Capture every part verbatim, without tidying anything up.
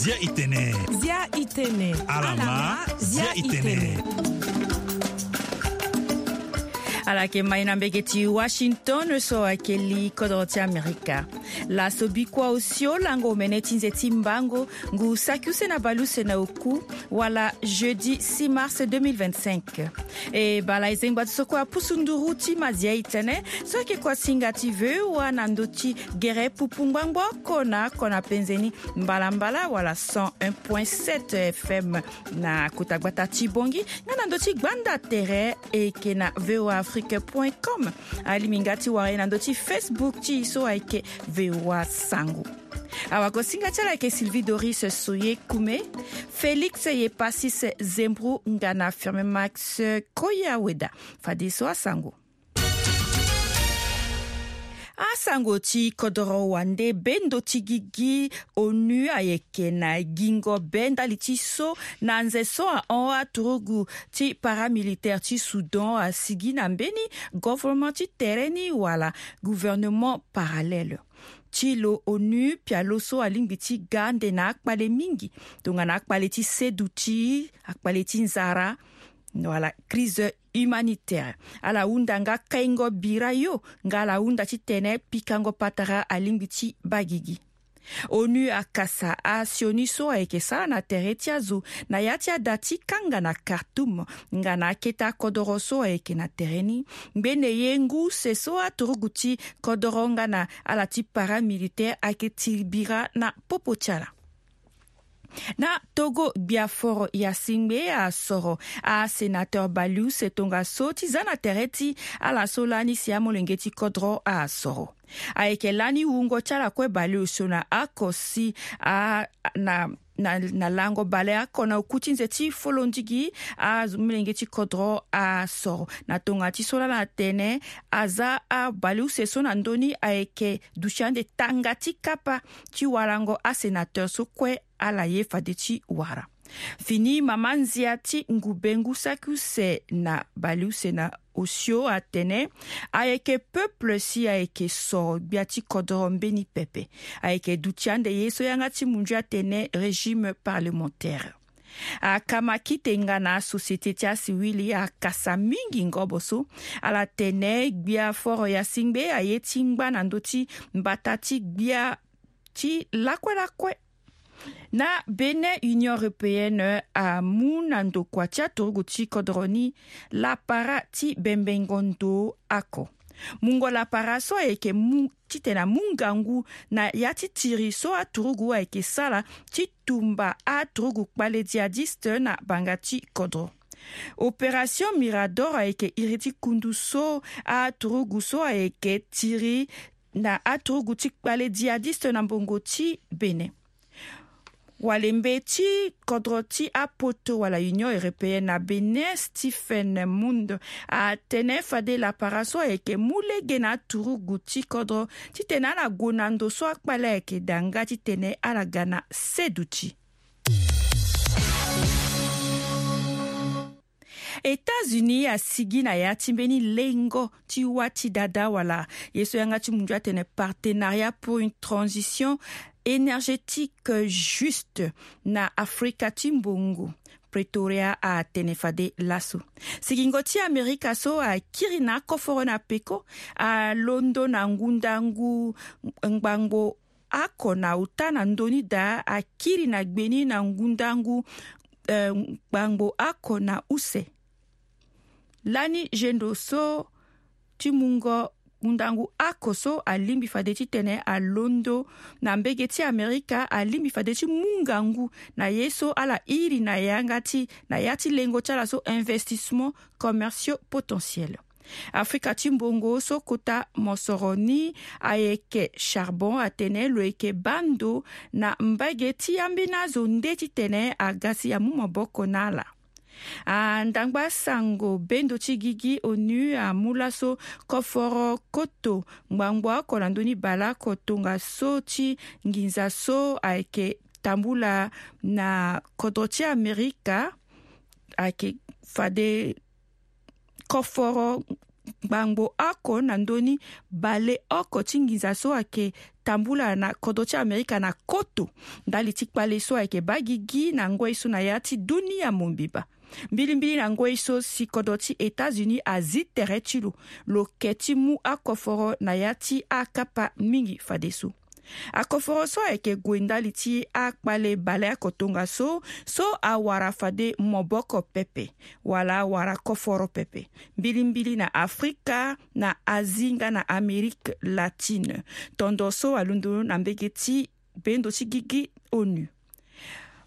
Zia itene. Zia itene. Alama. Zia itene. Ala yeke mai na mbege ti Washington so ayeke li kodro ti Amerika. Laso bikua osio lango omene ti nze ti mbango ngu saki use na baleuse na oku, wala jeudi six mars deux mille vingt-cinq. E bala e zengba ti so kue apusu nduru ti mazia itene so ayeke kua singa ti V O A na ndö ti gere pupu ngbangbo oko na oko na penze ni mbalambala wala cent un point sept F M na kota gbata ti Bongi, nga na ndö ti gbanda tere e yeke na V O A Afrique point com. Alingbi nga ti wara e na ndö ti Facebook ti e so ayeke V O A Sango. Awakosinga ti ala ayeke Sylvie Doris Soye Kume, Félix Yepasis Zembru nga na Firme Max Koyaweda. Fadeso asango. Asango ti kodoro wande, bendo ti gigi ONU ayeke na gingo be ndali ti so na nze so ahon aturugu ti paramilitaire ti Soudan asigi na mbeni gouvernement ti tere ni wala gouvernement parallèle. Ti lo ONU pialo so alingbi ti ga ande na akpale mingi, tongana akpale ti seduti, akpale ti nzara, wala crise humanitaire. Ala hunda nga kaingo bira yo, nga ala hunda titene pikango patara alingbi ti baa gigi. ONU akasa asioni so ayeke sara na tere ti azo na ya ti ada ti kanga na Khartoum, nga na akete akodoro so ayeke na tere ni. Ngbene ye ngu use so aturugu ti kodoro nga na ala ti paramilitaire ayeke tiri bira na popo ti ala. Na Togo, gbia foro ya singbe asoro asenateur baleuse tongaso ti za na tere ti ala so lani si amolenge ti kodro asoro. Ayeke lani wungo ti ala kue baleuse na oko si a na na, na lango baleoko na oku ti nze ti folondigi amolenge ti kodro asoro. Na tonga ti so lala atene aza abaleuse so na ndö ni ayeke duti ande tanga ti kapa ti warango asenateur so kue ala ye fade ti wara. Fini mama nzia ti ngu be ngu saki use na baleuse na osio atene ayeke peuple si ayeke soro gbia ti kodoro mbeni pepe. Ayeke duti ande ye so yanga ti munju atene régime parlementaire. Akamakite nga na asociété ti asiwili akasa mingi ngobo so. Ala tene gbia foro ya singbe aye ti ngba na ndö ti mbata ti gbia ti lakue lakue. Na Bénin, Union européenne amu na ndokua ti aturugu ti kodro ni lapara ti bembengo ndo oko. Mungo lapara so ayeke mu titene amu ngangu na ya ti tiri so aturugu ayeke sara ti tumba aturugu kpale djihadiste na banga ti kodro. Opération Mirador ayeke iri ti kundu so aturugu so ayeke tiri na aturugu ti kpale djihadiste na mbongo ti Bénin. Walembe ti kodro ti apoto wala Union européenne na Bénin, Stephen Mund, atene fade lapara so ayeke mu lege na aturugu ti kodro titene ala gue na ndo so akpale ayeke daa nga titene ala ga na seduti. États-Unis asigi na ya ti mbeni lengo ti wâ ti dada wala ye so yanga ti mundu atene partenariat pour une transition énergétique juste na Afrika ti mbongo. Pretoria atene fade laso. Sigingo ti Amerika so akiri na akoforo na peko alondo na ngundangu ngbangbo oko na ota na ndö ni daa akiri na gbe ni na ngundangu, eh, ngbangbo oko na use. Lani zendo so ti mungo ngundangu oko so alingbi fade titene alondo na mbege ti Amerika, alingbi fade ti mu ngangu na ye so ala iri na yanga ti na ya ti lengo ti ala so investissement commerciaux potentiels. Afrika ti mbongo so kota mosoro ni ayeke charbon atene lo yeke baa ndo na mbage ti ambeni azo nde titene aga si amu maboko na ala. Andangba sango bendo ti gigi ONU amu laso koforo koto ngbangbo oko na ndö ni baleoko tongaso ti nginza so ayeke tambula na kodro ti Amerika ayeke fade koforo Ngbangbo oko na ndö ni baleoko ti nginza so ayeke tambula na kodro ti Amerika na koto ndali ti kpale so ayeke baa gigi na ngoi so na ya ti dunia mobimba. Mbilimbili na ngoi so si kodro ti États-Unis azi tere ti lo, lo ke ti mu akoforo na ya ti akapa mingi fadeso. Akoforo so ayeke gue ndali ti akpale baleoko tongaso, so awara fade maboko pepe wala awara koforo pepe, mbilimbili na Afrika, na Asie nga na Amérique latine. Tondo so alondo na mbege ti bendo ti gigi ONU.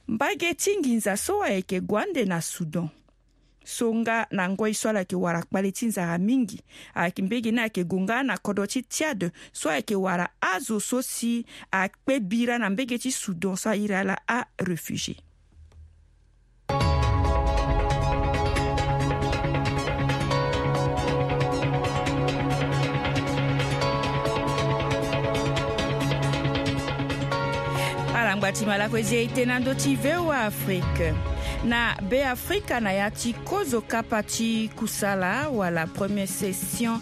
Mbage ti nginza so ayeke gue ande na Soudan, so nga na ngoi so ala yeke wara kpale ti nzara mingi. Ayeke mbege ni ayeke gue nga na kodro ti Tchad, so ayeke wara azo so si akpe bira na mbege ti Soudan so airi ala aréfugié. Ala ngba ti ma lakue zi e-ite na ndö ti V O A Afrique. Na Beafrika, na ya ti kozo kapa ti kusala wala première session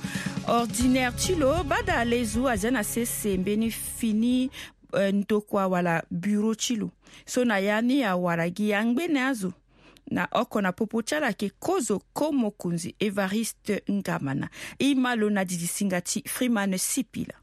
ordinaire ti lo, Bada Lezo azia na sese mbeni fini, eh, ndokua wala bureau ti lo. So na ya ni awara gi angbene azo na oko na popo ti ala ayeke kozo ko mokonzi Évariste Ngamana. E ma lo na didi singa ti Freeman Sipila.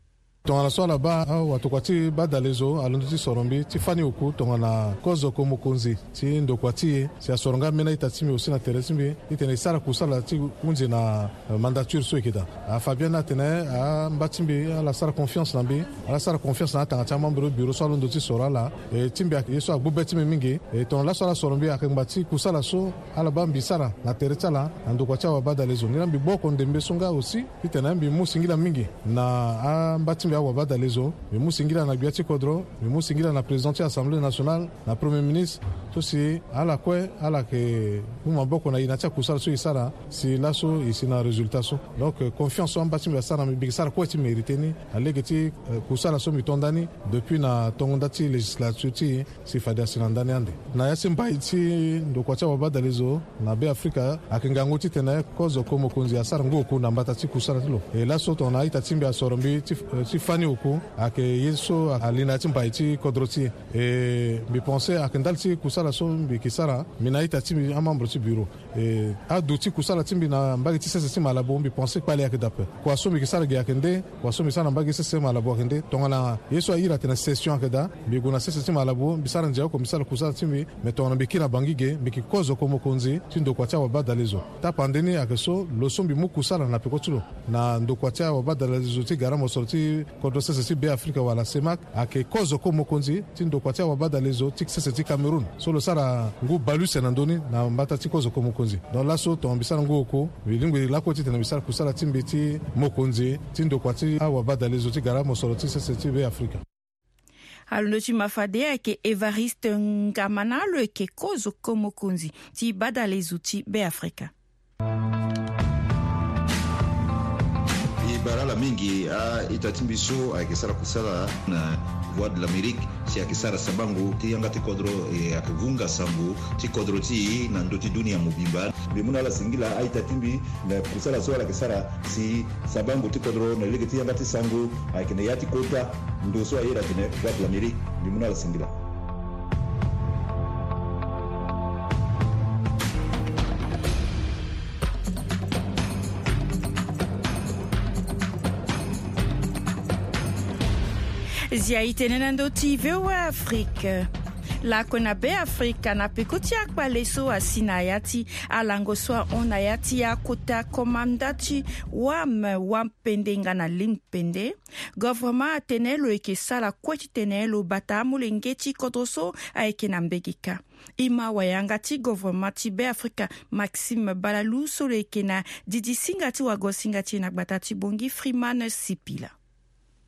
Tongana so ala baa awatokua ti Bada Lezo alondo ti soro mbi ti fani oku tongana kozo ko mokonzi ti ndokua ti e, si asoro nga ambeni a-ita ti mbi aussi na tere ti mbi titene e sara kusala ti hunzi na, eh, mandature so e yeke daa. Afa bien ni atene amba ti mbi ala sara confiance na mbi, ala sara confiance na atanga ti amembre bureau so alondo ti soro ala. E, ti mbi ayeke ye so agbu be ti mbi mingi. E, tongana laso ala soro mbi ayeke ngba ti kusala so ala baa mbi sara na tere ti ala na ndokua ti awa Bada Lezo. Nilaa mbi gbu oko ndembe so nga aussi titene mbi mu singila mingi na amba ti mbi awa Bada Lezo. Mbi mu singila na gbia ti kodro, mbi mu singila na président ti Assemblée nationale, na premier ministre, so si ala kue ala yeke mu maboko na e na ya ti akusala so e sara, si laso e si na résultat so. Donc, euh, confiance so amba ti mbi asara na mbi, mbi yeke sara kue ti mérité ni na lege ti, euh, kusala so mbi to nda ni depuis na tongo nda ti législature ti e, si fade asi na ndani ande. Na ya ti mbai ti ndokua ti awa Bada Lezo na Beafrika, ayeke ngangu titene kozo ko mokonzi asara ngu oku na mbata ti kusala ti lo. E laso tongana a-ita ti mbi asoro mbi ti, eh, ti fani oku, ayeke ye so ali na ya ti mbai ti kodro ti e. E mbi pense ayeke ndali ti kusala so mbi yeke sara, mbi na a-ita ti mbi amembre ti bureau. E adu ti kusala ti mbi na mbage ti sese ti Malabo, mbi pense kpale ayeke daa ape. Kua so mbi yeke sara ge ayeke nde, kua so mbi sara na mbage ti sese ti Malabo ayeke nde. Tongana ye so airi atene session ayeke daa, mbi gue na sese ti Malabo, mbi sara ndia oko, mbi sara kusala ti mbi. Me tongana mbi kiri na Bangui ge, mbi yeke kozo ko mokonzi ti ndokua ti awa Bada Lezo. Tapande ni ayeke so, lo so mbi mu kusala na peko ti lo na ndokua ti awa Bada Lezo ti gara mosoro ti kodro sese ti Beafrika wala CEMAC, ayeke kozo ko mokonzi ti ndokua ti awa Bada Lezo ti sese ti Cameroun, so lo sara ngu bale use na ndö ni na mbata ti kozo ko mokonzi. Donc laso tongana mbi sara ngu oku, mbi lingbi lakue titene mbi sara kusala ti mbi ti mokonzi ti ndokua ti awa Bada Lezo ti gara mosoro ti sese ti Beafrika. Alondo ti ma fade ayeke Évariste Ngamana, lo yeke kozo ko mokonzi ti Bada Lezo ti Beafrika. E bara ala mingi a-ita ti mbi so ayeke sara kusala na Voix de l'Amérique, si ayeke sara sabango ti yanga ti kodro, e ayeke vunga sango ti kodro ti e na ndö ti dunia mobimba. Mbi mu na ala singila a-ita ti mbi na kusala so ala yeke sara si sabango ti kodro na lege ti yanga ti sango ayeke na ya ti kota ndo so ayeda atene Voix de l'Amérique. Mbi mu na ala singila. Zia e tene na ndö ti V O A Afrique. Lakue na Beafrika, na peko ti akpale so asi na ya ti alango so ahon na ya ti akota komanda ti wam, wampende nga na limpende, governement atene lo yeke sara kue titene lo bata amolenge ti kodro so ayeke na mbege kâ. E ma wayanga ti governement ti Beafrika, Maxime Balalou, so lo yeke na didi singa ti wagosinga ti e na gbata ti Bangui, Freeman Sipila.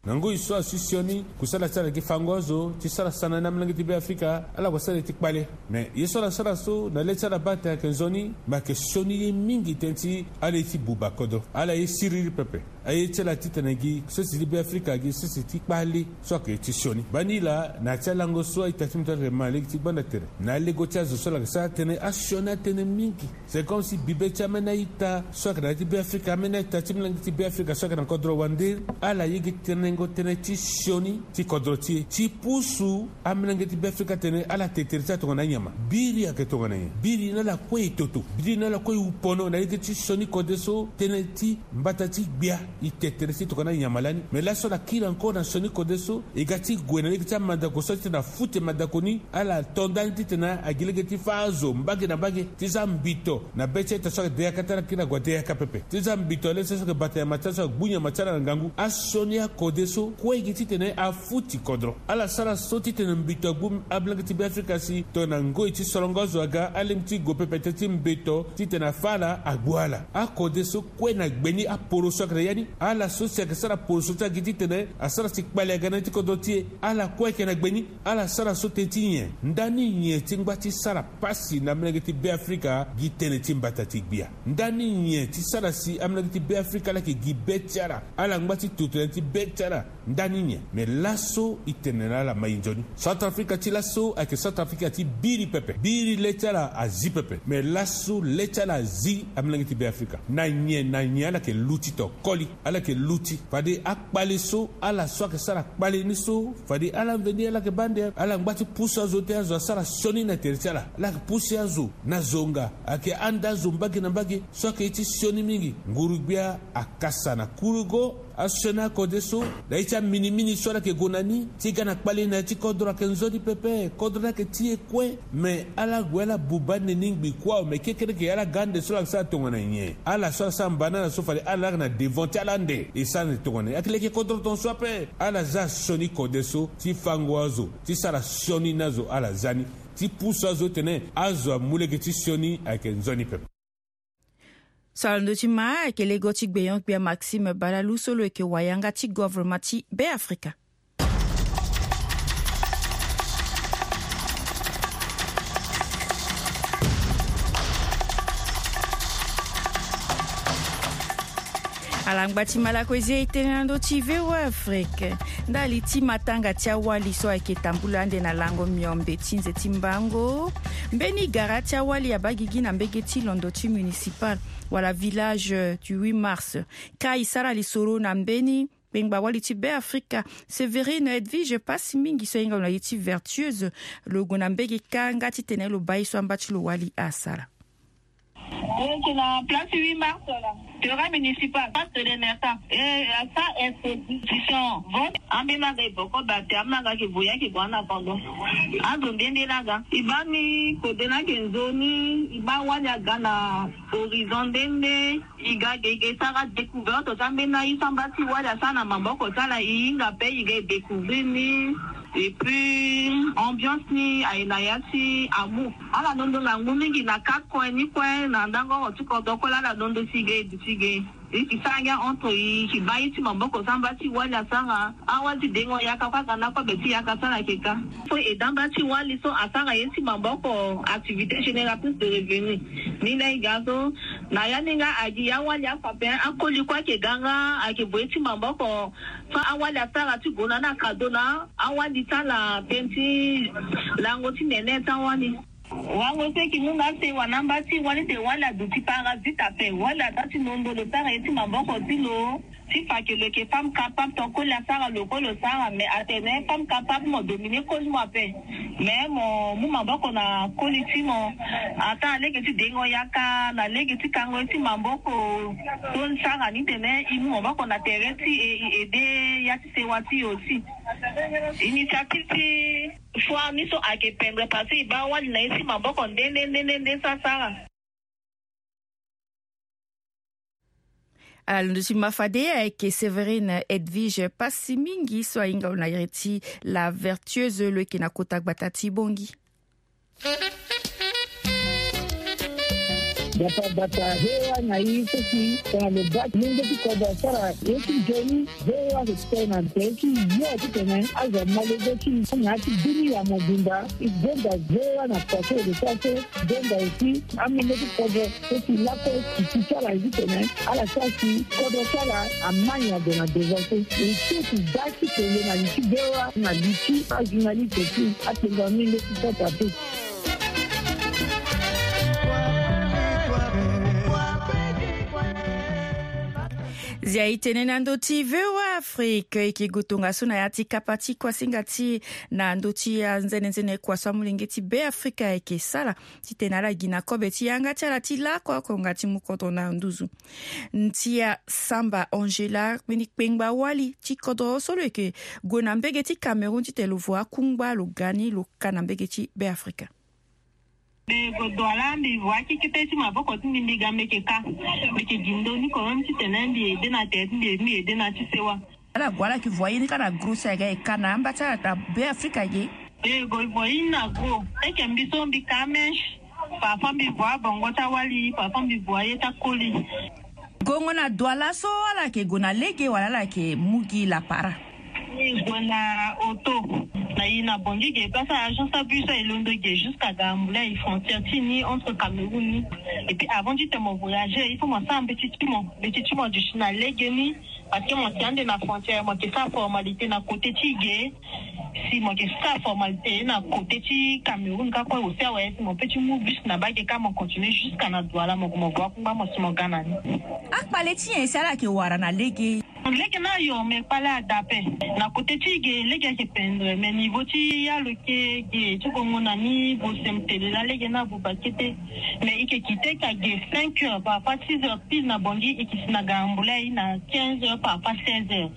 Na ngoi so asi sioni kusala ti ala gi fango azo ti sara sana na amolenge ti Beafrika, ala gue sara ye ti kpale. Me ye so ala sara so na le ti ala baa atene ayeke nzoni, me ayeke sioni ye mingi tënë ti ala ye ti buba kodro, ala ye siriri pepe. Aye ti ala titene gi sese ti Beafrika gi sese ti kpale so ayeke ti sioni. Bani laa na ya ti alango so aita ti mbi ti ala ma lege ti gbanda tere na alego ti azo so ala yeke sara tënë asioni atënë mingi. C'est comme si bibe ti ameni a-ita so ayeke na ya ti Beafrika, ameni a-ita ti molenge ti Beafrika so ayeke na kodro wande, ala ye gi tenengo tënë ti sioni ti kodro ti e ti pusu amolenge ti Beafrika atene ala te tere ti ala tongana anyama. Biri ayeke tongana nyen? Biri na ala kue e toto, biri na ala kue e wu pono na lege ti sioni kode so tënë ti mbata ti gbia e te tere ti e tongana anyama lani. Me laso ala kiri encore na sioni kode so e ga ti gue na lege ti amandako so titene afuti mandako ni, ala to ndani titene agi lege ti fâ azo mbage na mbage ti za mbito na be ti a-ita so ayeke de yaka ti ala kiri na gue ade yaka pepe ti za mbito na lege ti ala so ayeke bata nyama ti ala so agbu nyama ti ala na ngangu. Asioni akode so kue gi titene afuti kodro. Ala sara so titene mbito agbu ablenge ti Beafrika si tongana ngoi ti solongo azo aga alingbi ti gue pepe tënë ti mbito titene afâ ala agbu ala. Akode so kue na gbe ni aporo so ayeke na ya ni, ala so si ayeke sara poro so ti ala gi titene asara si kpale aga na ya ti kodro ti e, ala kue ayeke na gbe ni. Ala sara so tënë ti nyen? Ndani nyen ti ngba ti sara pasi na molenge ti Beafrika gi tënë ti mbata ti gbia? Ndani nyen ti sara si amolenge ti Beafrika ala yeke gi be ti ala, ala ngba ti toto na ya ti be ti ala? Ndani nyen? Me laso e tene na ala mai nzoni. Centrafrika ti laso ayeke Centrafrika ti biri pepe. Biri le ti ala azi pepe. Me laso le ti ala azi amolenge ti Beafrika. Na nyen na nyen ala yeke luti to koli? Ala yeke luti fade akpale so ala so ayeke sara kpale ni so fade ala mveni ala yeke baa nde ala ngba ti pusu azo te azo asara sioni na tere ti ala. Ala yeke pusu azo na zonga, ayeke anda azo mbage na mbage so ayeke ye ti sioni mingi. Nguru-gbia akasa na kurugo asioni akode so na ye ti aminimini so ala yeke gue na ni ti ga na kpale na ya ti kodro ayeke nzoni pepe. Kodro ni ayeke ti e kue. Me ala gue ala buba ande ni ngbi kue awe. Me kekereke ala ga ande so ala yeke sara tongana nyen? Ala so ala sara mba na ala so fade ala laa na devant ti ala ande e sara ande tongana nyen? Ayeke leke kodro tongaso ape. Ala za sioni kode so ti fango azo ti sara sioni na azo ala za ni ti pusu azo tene azo amu lege ti sioni ayeke nzoni pepe. So ala ndö ti ma ayeke lego ti gbenyo-gbia Maxime Balalu so lo yeke wayanga ti governement ti Beafrika. Ala ngba ti ma lakue zi e tënë na ndö ti V O A Afrique. Ndali ti matanga ti awali so ayeke tambula ande na lango miombe ti nze ti mbango, mbeni gara ti awali abaa gigi na mbege ti londo ti municipal wala village du huit mars. Ka e sara lisoro na mbeni kpengba wali ti Beafrika, Séverine Edwige Passy Mingi so ahinga lo na ye ti Vertueuse, lo gue na mbege kâ nga titene lo baa ye so amba ti lo wali asara. Lo yeke na place huit mars wala terrain municipal, place de l'ENERSA. E asa exposition vote. Ambeni aga e boko bate, ambeni aga ayeke voye ayeke gue na kondo. Azo nde nde laa aga. E baa ni kode ni ayeke nzoni, e baa wali aga na horizon nde nde. E ga ge e ga e sara découverte ti ambeni aye so amba ti wali asara na maboko ti ala, e hinga ape e ga e découvrir ni. Et puis ambiance ni aye na ya ti amour. Ala londo ngangu mingi na quatre coin ni kue, na ndango oko ti kodro kue laa ala londo si ge e duti ge. E yeke sara ngia entre e yeke baa ye ti maboko so amba ti wali asara. Awali ti dengo yaka kue aga na kobe ti yaka so ala yeke ka. So e damba ti wali so asara ye ti maboko, activité génératrice de revenu. Ni laa e ga so na ya ni nga agi awali afa ape, akoli kue ayeke ga nga ayeke gue ye ti maboko. So awali asara ti gue na ni akado na awali ti ala tënë ti lango ti nene ti awali. Wango so e yeke mu nga sewa na amba ti wali te, wali aduti parasite ape. Wali ada ti londo lo sara ye ti maboko ti lo ti fa ke lo yeke femme capable, ton koli asara lo kue lo sara. Mais atene femme capable mo dominer koli mo ape. Mais mo mu maboko na koli ti mo. Ata na lege ti dengo yaka, na lege ti kango ye ti maboko. So sara ni tene e mu maboko na tere ti e, e aide ya ti sewa ti e aussi. Initiative ti foire ni so ayeke pendre parce que e baa wali na ye ti maboko nde nde nde nde nde so asara. Ala londo ti ma fade ayeke Séverine Edwige Passy Mingi so ahinga lo na iri ti La Vertueuse, lo yeke na kota gbata ti Bangui. Bata bata, V O A na i so si tongana lo baa ti lenge ti kodro asara ye ti nzoni, V O A ayeke tene na tere ti yo titene azo amolenge ti na ya ti bini ya mobimba. E gonda V O A na poto so e lo sara so, e gonda aussi amolenge ti kodro so si lakue ti ti ti ala ye titene ala sara si kodro ti ala amani ado na devant so. E ti ti baa ti tene na li ti V O A na li ti ajournaliste ti atenga mingi ti sota te. Zia e tene na ndö ti V O A Afrique, e yeke gue tongaso na ya ti kapa ti kuasinga ti e na ndö ti anzenenzene kua so amolenge ti Beafrika ayeke sara titene ala gi na kobe ti yanga ti ala ti laoko oko nga ti mu kodro na nduzu. Ntia Samba Angela, mbeni kpengba wali ti kodro so lo yeke gue na mbege ti Cameroun titene lo voa akungba lo ga ni lo ka na mbege ti Beafrika. Mbi gue Douala, mbi voa kekete ti maboko ti mbi, mbi ga mbi yeke ka. Mbi yeke gi ndö ni quand même titene mbi ede na tere ti mbi, mbi ede na ti sewa. Ala gue ala yeke voa ye ni kâ na gros si aga e ka na amba ti ala na Beafrika ge. Mbi gue voa ye ni na gros. Eke mbi so mbi ka mèche. Parfois mbi voa bongo ti awali, parfois mbi voa ye ti akoli. Gongo na Douala so ala yeke gue na lege wala ala yeke mu gi lapara? Mbi gue na auto. Na i na Bangui ge, place ya agence abus so e londo ge jusqu'à Gambouillet, frontière ti ni entre Cameroun ni. Et puis avant ti tene mo voyager, il faut mo sara mbeti ti mo, mbeti ti mo duti na lege ni. Parce que mo si ande na frontière, mo yeke sara formalité na côté ti ge. Si mo yeke sara formalité na côté ti Cameroun kâ kue, aussi awe si mo peut ti mu bus na bage kâ mo continuer jusqu'à na Douala, mo gue mo gue akungba mo si mo ga na ni. Akpale ti nyen si ala yeke wara na lege? Lege ni ayo, mais kpale ada ape. Na côté ti ge lege ayeke pendre, mais niveau ti ya lo ke ge ti gongo na ni, Bosem, Telela, lege ni abuba kete. Mais i yeke kite ka ge cinq heures, parfois six heures pile na Bangui, i yeke si na Gambouillet na quinze heures, parfois seize heures.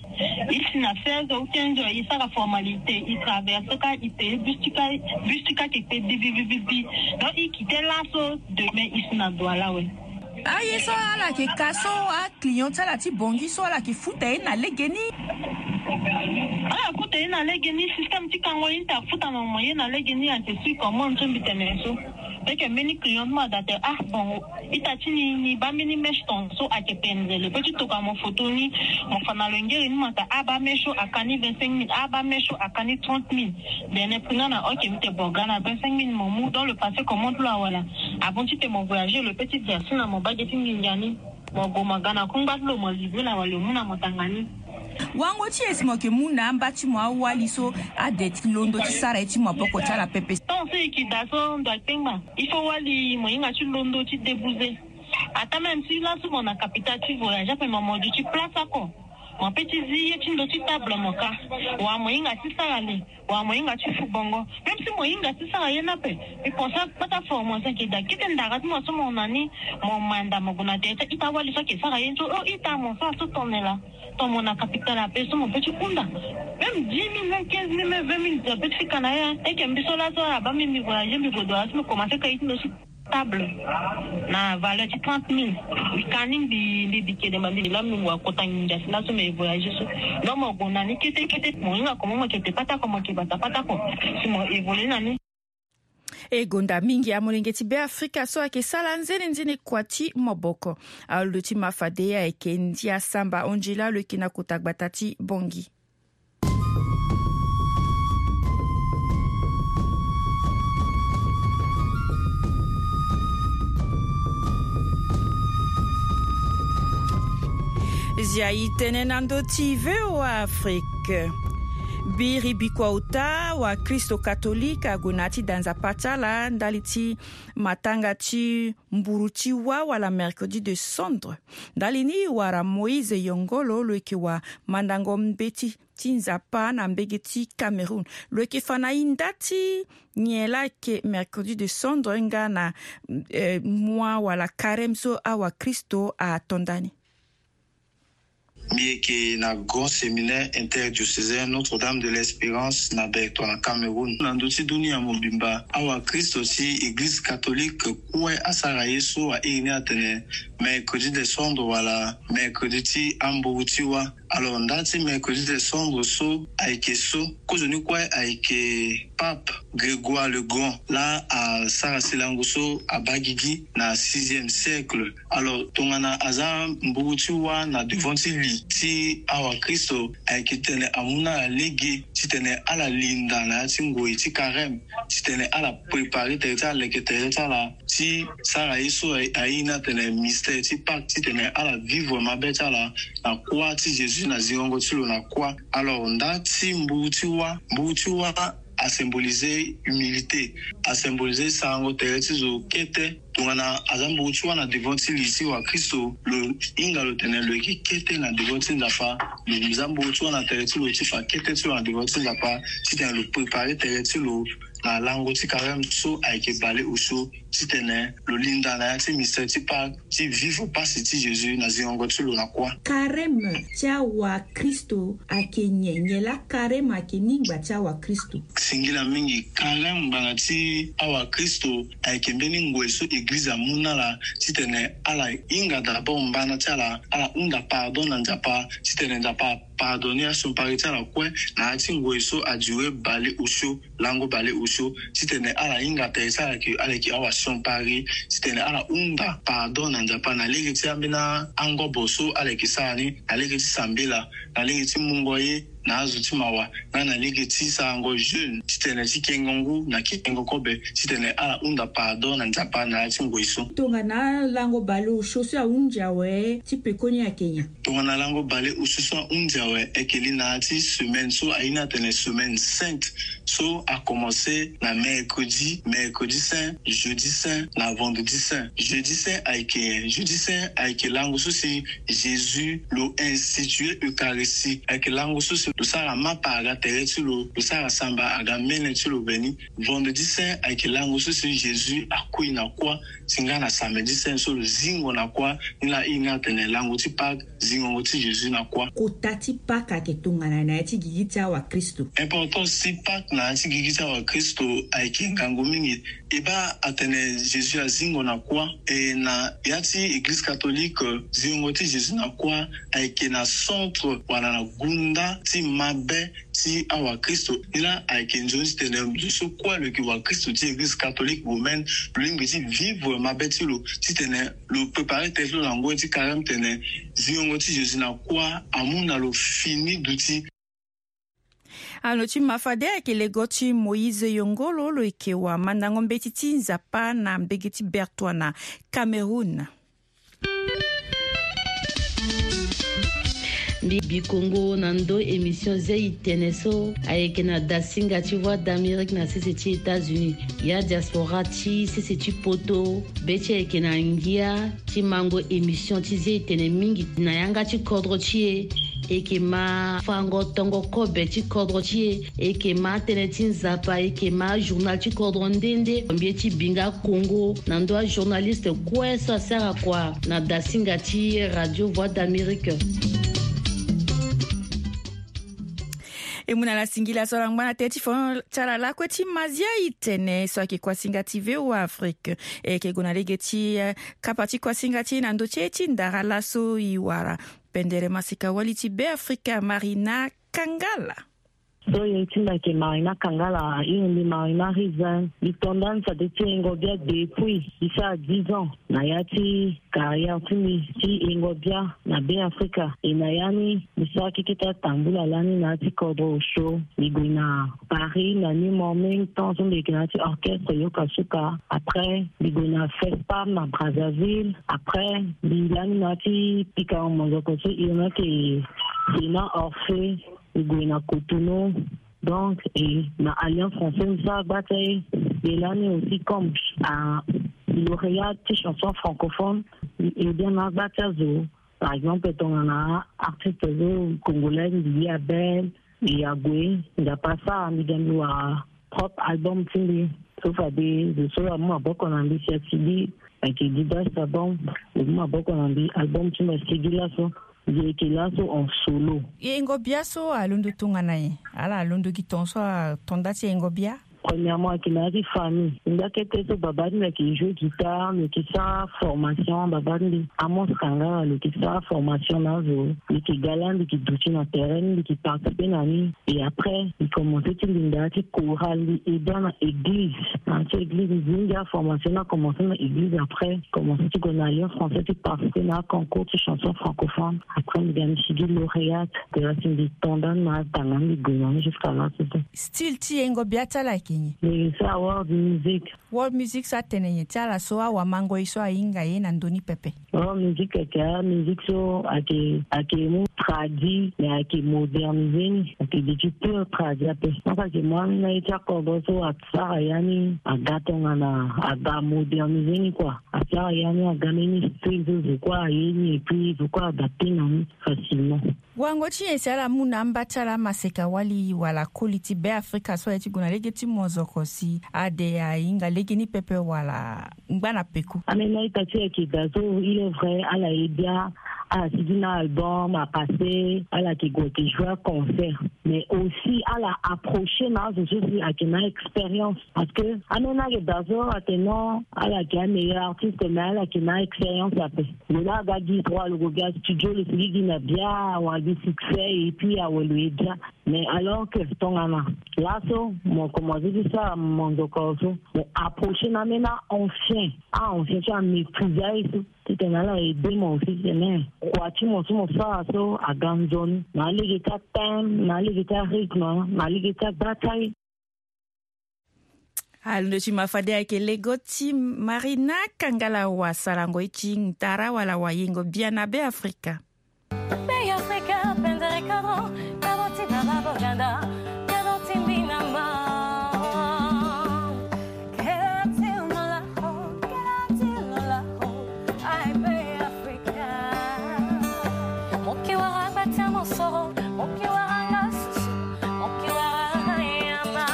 I si na seize heures ou quinze heures, i sara formalité, i traverse kâ, i paye bus ti kâ, bus ti kâ yeke kpe bi, bi, bi, bi, bi. Donc i kite laso, demain i si na Douala awe. Aye so ala yeke ka so, aclient ti ala ti Bangui so ala yeke futa ye na lege ni? Ala futa ye na lege ni, système ti kango ye ni ta futa na mo ye na lege ni, ayeke sui commande so mbi tene so. Eke mbeni client ti mo ada tene ah bon, ita ti ni, ni baa mbeni mèche tongaso ayeke pendre. Lo peut ti toka mo photo ni, mo fa na lo ngere ni, mo ta abaa mèche so aka ni vingt-cinq mille, abaa mèche so aka ni trente mille. Dene prix na na oke mbi tene bon, ga na vingt-cinq mille mo mu, donc lo passé commande ti lo awala. Avant ti tene mo voyager, lo peut ti verser na mo bage ti nginza ni. Mo gue mo ga na kungba ti lo, mo livrer na wali, lo mu na mo tanga ni. Wango ti e si mo yeke mu na amba ti mo awali so ade ti londo ti sara ye ti maboko ti ala pepe. Tant so e yeke daa so ndo akpengba, il faut wali mo hinga ti londo ti débouser. Ata même si laso mo na capital ti voyage ape, mo, mo duti place oko, mo peut ti zi ye ti ndo ti table mo ka. Wa mo hinga ti sara le, wa mo hinga ti fu bongo. Même si mo hinga ti sara ye ni ape, mbi pense akpata formation ayeke daa. Kete ndara ti mo so mo na ni, mo manda mo gue na tere ti ita wali so ayeke sara ye ni so, oh ita, mo sara so tongana laa. Ton mo na capital ape so mo peut ti hunda. Même dix mille, même quinze mille, même vingt mille, mo peut ti fika na ya. Eke mbi so laso abaa mbi, mbi voyager, mbi gue Douala so mbi commencer ka ye ti ndo ti table na valeur ti trente mille. Mbi ka ni, mbi, mbi bi kede ma mbi laa mbi ngua kota nginza si laso mbi voyager so. Donc mo gue na ni kete kete, mo hinga comment mo yeke te patako, mo yeke bata patako. Si mo évoluer na ni. E gonda mingi amolenge ti Beafrika so ayeke sara nzenenzene kua ti maboko. Alondo ti ma fade ayeke Ndia Samba Angela, lo yeke na kota gbata ti Bangui. Zia e tene na ndö ti V O A Afrique. Biri bikua ota, wakristo katolike ague na ya ti da nzapa ti ala ndali ti matanga ti mburu ti wâ wala mercredi de cendre. Ndali ni wara Moïse Yongolo, lo yeke wamandango mbeti ti nzapa na mbege ti Cameroun. Lo yeke fa na e nda ti nyen laa ayeke mercredi de cendre nga na, eh, mois wala carême so awakristo ato nda ni. Mbi yeke na Grand Séminaire Interdiocésain Notre-Dame de l'Espérance na Bertoua na Cameroun. Na ndö ti dunia mobimba, awakristo ti Eglize catholique kue asara ye so a iri ni atene mercredi de cendre wala mercredi ti amburu ti wâ. Alors nda ti mercredi de cendre so ayeke so, kozoni kue ayeke Pape Grégoire le Grand, laa asara si lango so abaa gigi na sixième siècle. Alors tongana aza mburu ti wâ na devant ti li ti awakristo, ayeke tene amu na ala lege titene ala linda na ya ti ngoi ti Karême, titene ala préparer tere ti ala, leke tere ti ala ti sara ye so aye ni atene mystère ti Pâques, titene ala vivre mabe ti ala na kuâ ti Jésus, na zingongo ti lo na kuâ. Alors nda ti mburu ti wâ, mburu ti wâ asymboliser humilité, asymboliser sarango tere ti zo kete. Tongana aza mburu ti wâ na devant ti li ti wakristo, lo hinga lo tene lo yeke kete na devant ti Nzapa. Lo za mburu ti wâ na tere ti lo ti fa kete ti lo na devant ti Nzapa, titene lo préparer tere ti lo na lango ti Karême so ayeke baleosio, titene lo linda na ya ti mystère ti Pâques, ti vivre pasi ti Jésus na zingongo ti lo na kuâ. Karême ti awakristo ayeke nyen? Nyen laa Karême ayeke ni ngba ti awakristo? Singila mingi, Karême ngbanga ti awakristo ayeke mbeni ngoi so eglize amu na ala titene ala hinga d'abord mbana ti ala, ala hunda pardon na Nzapa, titene Nzapa apardonner asiopari ti ala kue na ya ti ngoi so aduré baleosio, lango baleosio, titene ala hinga tere ti ala ke ala yeke awasiopari, titene ala hunda pardon na Nzapa na lege ti ambeni angobo so ala yeke sara ni, na lege ti sambela, na lege ti mungo ye na azo ti mawa, nga na lege ti sarango jeûne, titene ti kengo ngu na kengo kobe, titene ala hunda pardon na Nzapa na ya ti ngoi so. Tongana lango baleosio so ahunzi awe, ti pekoni ayeke nyen? Tongana lango baleosio so ahunzi awe, ayeke li na ya ti semaine so aye ni atene semaine sainte, so akomanse na mercredi, mercredi saint, jeudi saint na vendredi saint. Jeudi saint ayeke, jeudi saint ayeke lango so si Jésus lo institué Eucharistie, ayeke lango so si lo sara mapa aga tere ti lo, lo sara samba aga mene ti lo veni. Vendredi saint ayeke lango so si Jésus akui na kuâ, si nga na samedi saint so lo zingo na kuâ. Ni laa e hinga atene lango ti Pâques, zingongo ti Jésus na kuâ. Kota ti Pâques ayeke tongana na ya ti gigi ti awakristo? Importance ti Pâques na ya ti gigi ti awakristo ayeke ngangu mingi. E baa atene Jésus azingo na kuâ, e na ya ti Église catholique, zingongo ti Jésus na kuâ ayeke na centre wala na gunda ti mabe ti awakristo. Ni laa ayeke nzoni titene zo so kue lo yeke wakristo ti Église catholique romaine, lo lingbi ti vivre mabe ti lo, titene lo préparer tere ti lo na ngoi ti Karême, titene zingongo ti Jésus na kuâ amu na lo fini duti. Alo ti ma fade ayeke lego ti Moïse Yongolo, lo yeke wamandango mbeti ti Nzapa na mbege ti Bertoua na Cameroun. Mbi bi kongo na ndo émission zia itene so ayeke na dasinga ti Voix d'Amérique na sese ti États-Unis. Ya diaspora ti sese ti poto, be ti e ayeke na ngia ti mango émission ti zia itene mingi na yanga ti kodro ti e. E yeke ma fango tongo kobe ti kodro ti e. E yeke ma tënë ti Nzapa, e yeke ma journal ti kodro nde nde. Mbi ye ti bi nga kongo na ndö ajournaliste kue so asara kua na dasinga ti Radio Voix d'Amérique. E mu na ala singila so ala ngba na tënë ti fon ti ala lakue ti mazia itene so ayeke kuasinga ti V O A Afrique. E yeke gue na lege ti, eh, kapa ti kuasinga ti e na ndö ti e ti ndara laso e wara pendere masika wali ti Beafrika, Marina Kangala. So ye ti mbi ayeke Marina Kangala, iri mbi Marina Rizin. Mbi to ndani fade ti Engo Bia depuis mbi sara dix ans na ya ti carrière ti mbi ti Engo Bia na Beafrika. E na ya ni mbi sara keke ti atambula lani na ya ti kodro osio. Mbi gue na Paris na New Morning, temps so mbi yeke na ya ti orchestre Yoka Suka. Après mbi gue na FESPAM na Brazzaville. Après mbi lani na ya ti pikango monzoko so e yeke Sénat Orphée. E gue na Cotonou. Donc e na Alliance Française mbi sara gba ti aye. E lani aussi comme, ah, lauréat ti chanson francophone, e bien na gba ti azo. Par exemple tongana artiste zo congolais mbi ye Abel, e ague, Nzapa asara mbi ga mbi wara propre album ti mbi. So fade zo so amu maboko na mbi si asigi, ayeke Didas Sabon, lo mu maboko na mbi, album ti mbi asigi laso. Mbi yeke laso en solo. E Engo Bia so alondo tongana nyen? Ala alondo gi ton so ato nda ti Engo Bia? Premièrement, ayeke na ya ti famille. Nda kete so baba ti mbi ayeke jouer guitare, lo yeke sara formation, baba ti mbi Amos Kangala, lo yeke sara formation na azo. Lo yeke ga lani, lo yeke duti na terrain ni, lo yeke participer na ni. Et après, mbi commencer ti linda ya ti chorale, mbi aide na église. Na ya ti église, mbi zi mingi aformation ni akommence na église. Après, commencer ti gue na Alliance Française ti participer na aconcours ti chanson francophone. Après, mbi ga mbi sigi lauréate. Te la si mbi to ndani na atanga ni, mbi gue na ni jusqu'à là, c'est ça. Style ti yengo bia ti ala ayeke nyen? Mbi sara world music. World music so atene nyen ti ala so awamangoi so ahinga ye na ndö ni pepe? World music ayeke amusique so ayeke, ayeke mu tradi, mais ayeke moderniser ni. Ayeke duti pure tradi ape. Donc ayeke mu ambeni aye ti akodro so asara ya ni aga tongana aga moderniser ni quoi. Asara ya ni aga mbeni style so zo kue aye ni, et puis zo kue adapter na ni facilement. Wango ti nyen si ala mu na amba ti ala amaseka wali wala koli ti Beafrika so aye ti gue na lege ti mozoko si ade ahinga lege ni pepe wala ngbana peku? Ambeni a-ita ti e ayeke daa so, il est vrai, ala ye bia, ala sigi na album apassé, ala yeke gue yeke jouer aconcert. Mais aussi ala approcher na azo so si ayeke na expérience. Parce que ambeni ayeke daa so atene non, ala yeke ameilleur artiste, mais ala yeke na expérience ape. Lo laa aga gi trois, lo gue gi astudio, lo sigi gi na bia, awa gi succès, et puis awe lo ye bia. Mais alors que tongana laso mo commencer ti sara monzoko so, mo approcher na ambeni a-ancien, a-ancien so amaîtriser aye so. Titene ala aider mo aussi titene kua ti mo so mo sara so aga nzoni na alege ti athème, na alege ti arythme, na alege ti agba ti aye. Alondo ti ma fade ayeke lego ti Marina Kangala wasarango ye ti ndara wala wayengo biana Beafrika. Beafrika pendere kabo, kabo ti baba boganda, kabo ti mbinama. Kela ti lola ho, kela ti lola ho, ai Beafrika. Mo ke wara gba ti amosoro, mo ke wara nga susu, mo ke wara nga yama.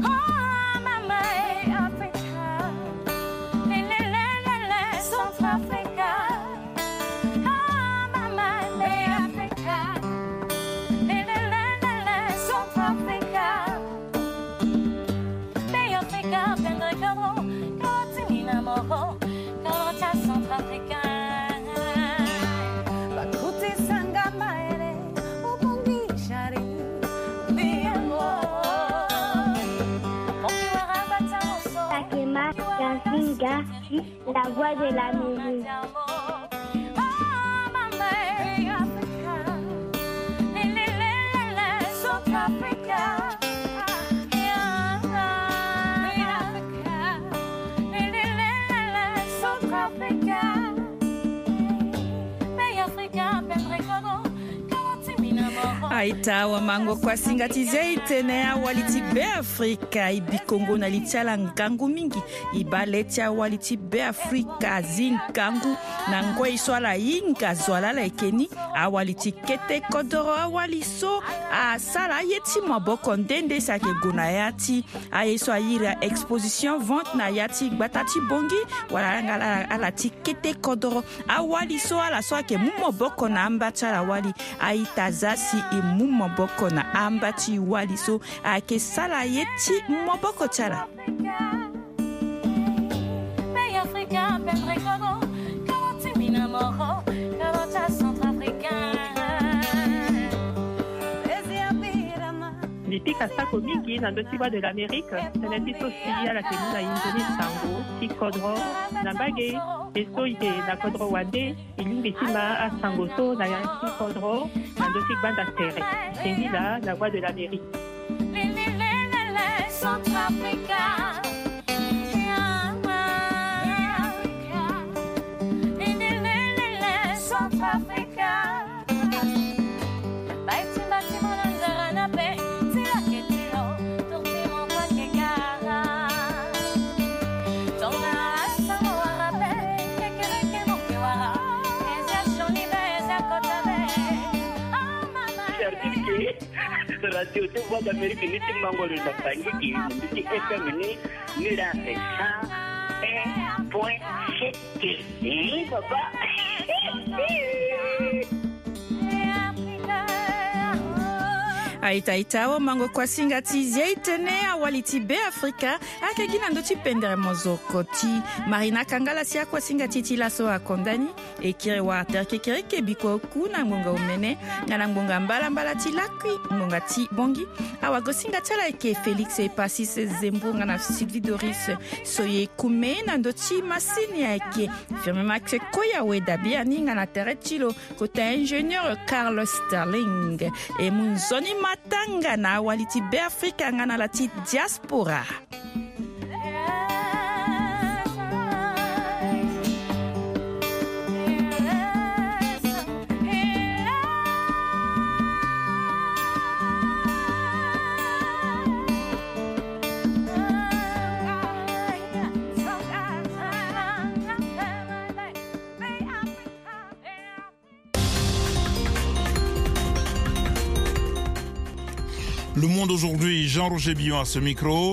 Oh mama e Afrika, le le le le le, Centrafrica. Ah mama e Afrika, le le le le le, Centrafrica. Beafrika pendere kabo, kabo ti mina moko, kabo ti acentrafricain. Bakuti sanga maere, obongi shari, biemo. Moki wara bata moso. Sakema, Kansinga, la voix de l'Amérique. Aita, wamango kuasinga ti zia e tene awali ti Beafrika e bi kongo na li ti ala ngangu mingi. E baa le ti awali ti Beafrika azi ngangu na ngoi so ala hinga zo wa laa ala yeke ni. Awali ti kete kodoro, awali so asara aye ti maboko nde nde si ayeke gue na ya ti aye so airi exposition vente na ya ti gbata ti Bangui, wala ala nga ala ti kete kodoro. Awali so ala so ayeke mu maboko na amba ti ala wali, aita zia si e mu maboko na amba ti wali so ayeke sara aye ti maboko ti ala. Mbi pika sako mingi na ndö ti Voix de l'Amérique, tënë ti so si ala yeke mu na e nzoni sango ti kodro na mbage. E so e yeke na kodro wande, e lingbi ti ma asango so na ya ti kodro na ndö ti gbanda tere. Singila na Voix de l'Amérique. Centrafrica. Centrafrica. Certifié. Radio ti Voix d'Amérique ni ti mango lo na Bangui, ni ti F M ni, ni la c'est cent un point sept. Eh, papa. Aita aita, awa mango kuasinga ti zi itene awali ti Be Afrika. Ayeke gi na ndö ti pendere mozoko ti Marina Kangala si akuasinga ti ti laso akonda ni. E kiri wara tere kekereke biko ku na ngbonga omene nga na ngbonga mbalambala ti lakui ngbonga ti bongi. Awagosinga ti ala ayeke Félix Epasis Zembour nga na Sylvie Doris Soye Kume. Na ndö ti masini ayeke Firmin Max Koyawe Dabiani nga na tere ti lo kota ingénieur Carlos Sterling. E mu nzoni matanga na awali ti Be Afrika nga na ala ti diaspora. Le Monde Aujourd'hui, Jean-Roger Billon à ce micro.